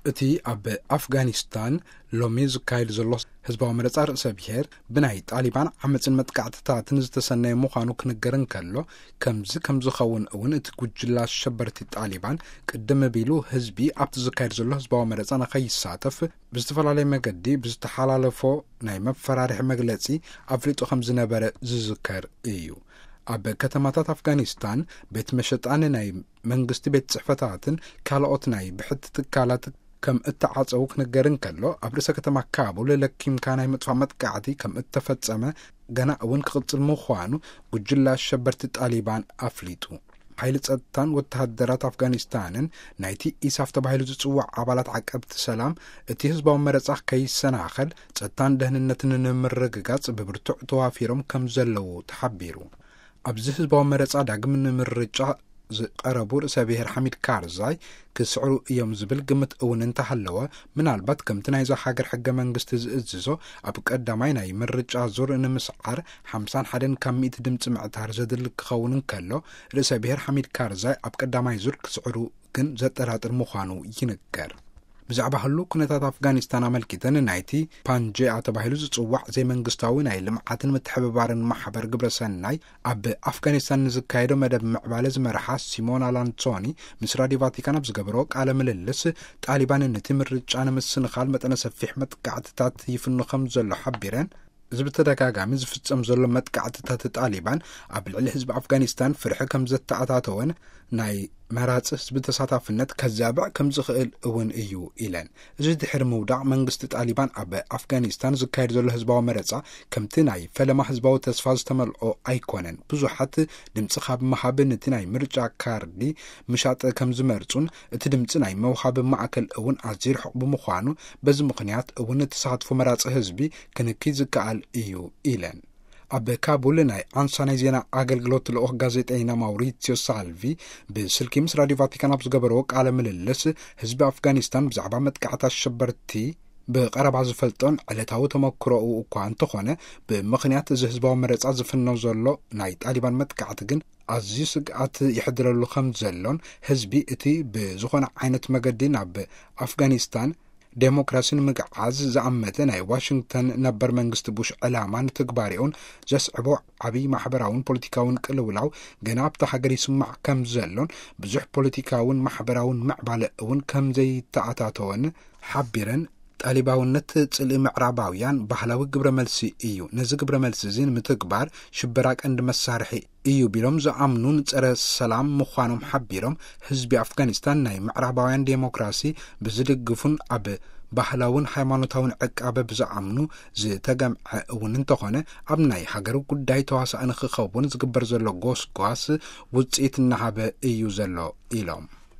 እቲ ኣብ ኣፍጋኒስታን ሎሚ ዝካየድ ዘሎ ህዝባዊ መረጻ ርእሰ ብሔር ብናይ ጣሊባን ዓመጽን መጥቃዕትታትን ዝተሰነየ ምዃኑ ክንገር እንከሎ፣ ከምዚ ከም ዝኸውን እውን እቲ ጉጅላ ኣሸበርቲ ጣሊባን ቅድም ቢሉ ህዝቢ ኣብቲ ዝካየድ ዘሎ ህዝባዊ መረጻ ንኸይሳተፍ ብዝተፈላለየ መገዲ ብዝተሓላለፎ ናይ መፈራርሒ መግለጺ ኣፍሊጡ ከም ዝነበረ ዝዝከር እዩ። ኣብ ከተማታት ኣፍጋኒስታን ቤት መሸጣን ናይ መንግስቲ ቤት ጽሕፈታትን ካልኦት ናይ ብሕቲ ትካላት ከም እተዓጸዉ ክንገር እንከሎ፣ ኣብ ርእሰ ከተማ ካቡል ለኪምካ ናይ ምጥፋእ መጥቃዕቲ ከም እተፈጸመ ገና እውን ክቕጽል ምዃኑ ጉጅላ ኣሸበርቲ ጣሊባን ኣፍሊጡ። ሓይሊ ጸጥታን ወተሃደራት ኣፍጋኒስታንን ናይቲ ኢሳፍ ተባሂሉ ዝጽዋዕ ኣባላት ዓቀብቲ ሰላም እቲ ህዝባዊ መረጻ ከይሰናኸል ጸጥታን ደህንነትን ንምርግጋጽ ብብርቱዕ ተዋፊሮም ከም ዘለዉ ተሓቢሩ። ኣብዚ ህዝባዊ መረጻ ዳግም ንምርጫ ዝቐረቡ ርእሰ ብሔር ሓሚድ ካርዛይ ክስዕሩ እዮም ዝብል ግምት እውን እንተሃለወ፣ ምናልባት ከምቲ ናይዛ ሃገር ሕገ መንግስቲ ዝእዝዞ ኣብ ቀዳማይ ናይ ምርጫ ዙር ንምስዓር ሓምሳን ሓደን ካብ ሚእቲ ድምፂ ምዕታር ዘድሊ ክኸውን እንከሎ፣ ርእሰ ብሔር ሓሚድ ካርዛይ ኣብ ቀዳማይ ዙር ክስዕሩ ግን ዘጠራጥር ምዃኑ ይንገር። ብዛዕባ ህሉ ኩነታት ኣፍጋኒስታን ኣመልኪተን ናይቲ ፓንጄኣ ተባሂሉ ዝጽዋዕ ዘይመንግስታዊ ናይ ልምዓትን ምትሕብባርን ማሕበር ግብረ ሰናይ ኣብ ኣፍጋኒስታን ንዝካየዶ መደብ ምዕባለ ዝመርሓ ሲሞና ላንሶኒ ምስ ራድዮ ቫቲካን ኣብ ዝገበሮ ቃለ ምልልስ፣ ጣሊባን ነቲ ምርጫ ንምስንኻል መጠነ ሰፊሕ መጥቃዕትታት ይፍኑ ከም ዘሎ ሓቢረን፣ እዚ ብተደጋጋሚ ዝፍጸም ዘሎ መጥቃዕትታት ጣሊባን ኣብ ልዕሊ ህዝቢ ኣፍጋኒስታን ፍርሒ ከም ዘተኣታተወን ናይ መራጺ ህዝቢ ተሳታፍነት ከዛብዕ ከም ዝኽእል እውን እዩ ኢለን። እዚ ድሕሪ ምውዳቕ መንግስቲ ጣሊባን ኣብ ኣፍጋኒስታን ዝካየድ ዘሎ ህዝባዊ መረጻ ከምቲ ናይ ፈለማ ህዝባዊ ተስፋ ዝተመልኦ ኣይኮነን። ብዙሓት ድምጺ ካብ ምሃብ ነቲ ናይ ምርጫ ካርዲ ምሻጥ ከም ዝመርጹን እቲ ድምጺ ናይ መውሃቢ ማእከል እውን ኣዝዩ ርሑቕ ብምዃኑ፣ በዚ ምኽንያት እውን ተሳትፎ መራጺ ህዝቢ ክንኪ ዝከኣል እዩ ኢለን። ኣብ ካቡል ናይ ኣንሳ ናይ ዜና ኣገልግሎት ልኡኽ ጋዜጠኛ ማውሪሲዮ ሳልቪ ብስልኪ ምስ ራድዮ ቫቲካን ኣብ ዝገበርዎ ቃለ ምልልስ፣ ህዝቢ ኣፍጋኒስታን ብዛዕባ መጥቃዕቲ ኣሸበርቲ ብቐረባ ዝፈልጦን ዕለታዊ ተመክሮኡ እኳ እንተኾነ፣ ብምኽንያት እዚ ህዝባዊ መረጻ ዝፍኖ ዘሎ ናይ ጣሊባን መጥቃዕቲ ግን ኣዝዩ ስግኣት ይሕድረሉ ከም ዘሎን፣ ህዝቢ እቲ ብዝኾነ ዓይነት መገዲ ናብ ኣፍጋኒስታን ዴሞክራሲ ንምግዓዝ ዝኣመተ ናይ ዋሽንግተን ነበር መንግስቲ ቡሽ ዕላማ ንትግባሬኡን ዘስዕቦ ዓብዪ ማሕበራውን ፖለቲካውን ቅልውላው ገና ኣብታ ሃገር ይስማዕ ከም ዘሎን፣ ብዙሕ ፖለቲካውን ማሕበራውን ምዕባለ እውን ከም ዘይተኣታተወን ሓቢረን፣ ጣሊባውነት ጽልኢ ምዕራባውያን ባህላዊ ግብረ መልሲ እዩ። ነዚ ግብረ መልሲ እዚ ንምትግባር ሽበራ ቀንዲ መሳርሒ እዩ ቢሎም ዝኣምኑን ጸረ ሰላም ምዃኖም ሓቢሮም፣ ህዝቢ ኣፍጋኒስታን ናይ ምዕራባውያን ዴሞክራሲ ብዝድግፉን ኣብ ባህላውን ሃይማኖታውን ዕቃበ ብዝኣምኑ ዝተገምዐ እውን እንተኾነ፣ ኣብ ናይ ሃገሩ ጉዳይ ተዋሳኢ ንክኸውን ዝግበር ዘሎ ጎስጓስ ውጽኢት እናሃበ እዩ ዘሎ ኢሎም።